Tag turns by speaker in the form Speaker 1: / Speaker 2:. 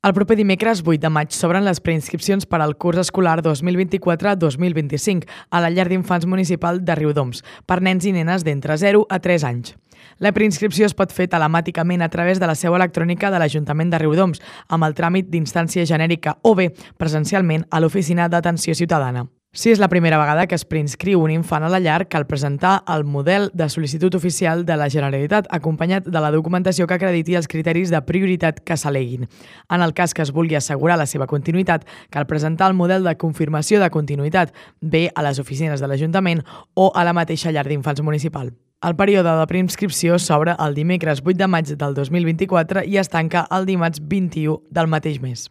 Speaker 1: El proper dimecres 8 de maig s'obren les preinscripcions per al curs escolar 2024-2025 a la llar d'infants municipal de Riudoms per nens i nenes d'entre 0 a 3 anys. La preinscripció es pot fer telemàticament a través de la seu electrònica de l'Ajuntament de Riudoms amb el tràmit d'instància genèrica o bé presencialment a l'Oficina d'Atenció Ciutadana. Si és la primera vegada que es preinscriu un infant a la llar, cal presentar el model de sol·licitud oficial de la Generalitat acompanyat de la documentació que acrediti els criteris de prioritat que s'aleguin. En el cas que es vulgui assegurar la seva continuïtat, cal presentar el model de confirmació de continuïtat, bé a les oficines de l'Ajuntament o a la mateixa llar d'infants municipal. El període de preinscripció s'obre el dimecres 8 de maig del 2024 i es tanca el dimarts 21 del mateix mes.